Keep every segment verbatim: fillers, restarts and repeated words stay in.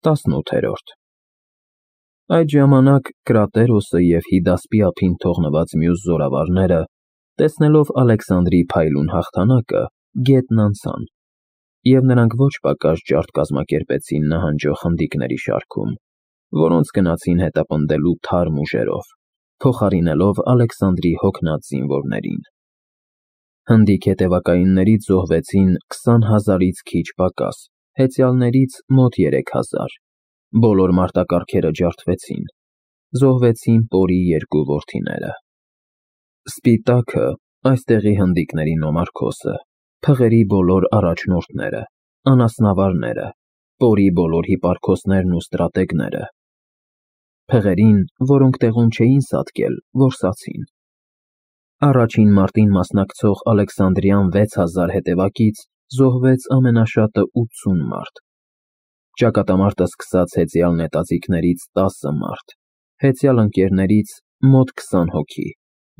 տասնութերորդ Այդ ժամանակ Կրատերոսը և Հիդասպի ափին թողնված մյուս զորավարները, տեսնելով Ալեքսանդրի փայլուն հաղթանակը, գետն անցան, և նրանք ոչ պակաս ջարդ կազմակերպեցին նահանջող հնդիկների շարքում, որոնց գնացին հետապնդելու թարմ ուժերով, փոխարինելով Ալեքսանդրի հոգնած զինվորներին։ Հնդիկ հետևակայիններից զոհվեցին քսան հազարից քիչ պակաս, հեծյալներից մոտ երեք հազար, բոլոր մարտակառքերը ջարդվեցին, զոհվեցին Պորի երկու որդիները։ Սպիտակը, այստեղի հնդիկների նոմարքոսը, փղերի բոլոր առաջնորդները, անասնավարները, Պորի բոլոր հիպարքոսներն ու ստրատեգները, փղերին, որոնք տեղում չէին սատկել, որսացին։ Առաջին մարտին մասնակցող Ալեքսանդրյան վեց հազար հետևակից զոհվեց ամենաշատը ութսուն մարդ։ Ճակատամարտը սկսած հեծյալ նետաձիգներից տասը մարդ, հեծյալ ընկերներից մոտ քսան հոգի,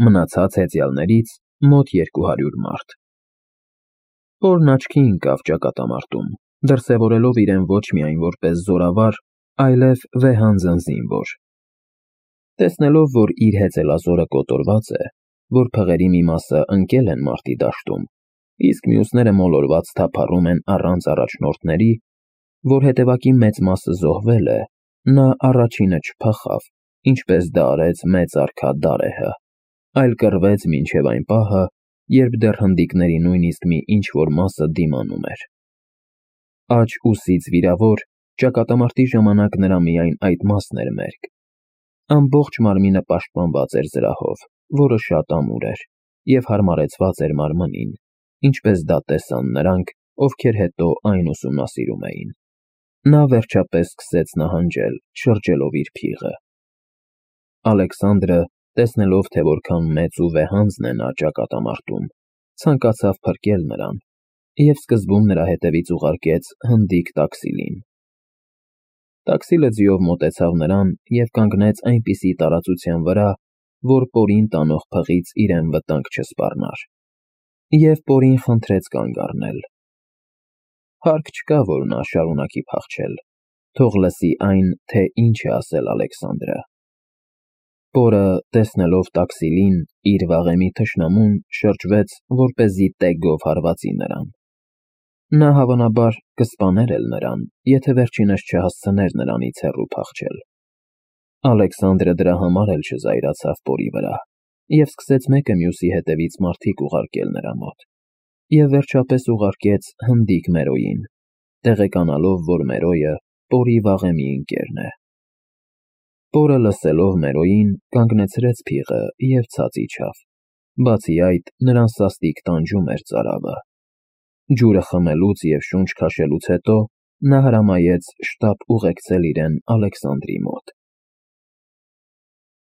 մնացած հեծյալներից մոտ երկու հարյուր մարդ։ Պորն աչքի ընկավ ճակատամարտում, դրսևորելով իրեն ոչ միայն որպես զորավար, այլև վեհանձն զինվոր։ Տեսնելով, որ իր հեծելազորը կոտորված է, որ փղերի մի մասը ընկել են մարտի դաշտում, իսկ մյուսները մոլորված թափառում են առանց առաջնորդների, որ հետևակի մեծ մասը զոհվել է, նա առաջինը չփախավ, ինչպես դա արեց մեծ արքա Դարեհը, այլ կռվեց մինչև այն պահը, երբ դեռ հնդիկների նույնիսկ մի ինչ-որ մասը դիմանում էր։ Աջ ուսից վիրավոր, ճակատամարտի ժամանակ նրա միայն այդ մասն էր մերկ։ Ամբողջ մարմինը պաշտպանված էր զրահով, որը շատ ամուր էր, և հարմարեցված էր մարմնին, ինչպես դա տեսան նրանք, ովքեր հետո այն ուսումնասիրում էին։ Նա վերջապես սկսեց նահանջել, շրջելով իր փիղը։ Ալեքսանդրը, տեսնելով, թե որքան մեծ ու վեհանձն է նա ճակատամարտում, ցանկացավ փրկել նրան, և սկզբում նրա հետևից ուղարկեց հնդիկ Տաքսիլին։ Տաքսիլը ձիով մոտեցավ նրան և կանգնեց այնպիսի տարածության վրա, որ Պորին տանող փղից իրեն վտանգ չսպառնար, և Պորին խնդրեց կանգ առնել։ Հարկ չկա, որ նա շարունակի փախչել, թող լսի այն, թե ինչ է ասել Ալեքսանդրը։ Պորը, տեսնելով Տաքսիլին, իր վաղեմի թշնամուն, շրջվեց, որպեսզի տեգով հարվածի նրան։ Նա հավանաբար կսպաներ էլ նրան, եթե վերջինս չհասցներ նրանից հեռու փախչել։ Ալեքսանդրը դրա համար էլ չզայրացավ Պորի վրա, և սկսեց մեկը մյուսի հետևից մարդիկ ուղարկել նրա մոտ, և վերջապես ուղարկեց հնդիկ Մերոյին, տեղեկանալով, որ Մերոյը Պորի վաղեմի ընկերն է։ Պորը, լսելով Մերոյին, կանգնեցրեց փիղը և ցած իջավ, բացի այդ, նրան սաստիկ տանջում էր ծարավը։ Ջուրը խմելուց և շունչ քաշելուց հետո նա հրամայեց շտապ ուղեկցել իրեն Ալեքսանդրի մոտ։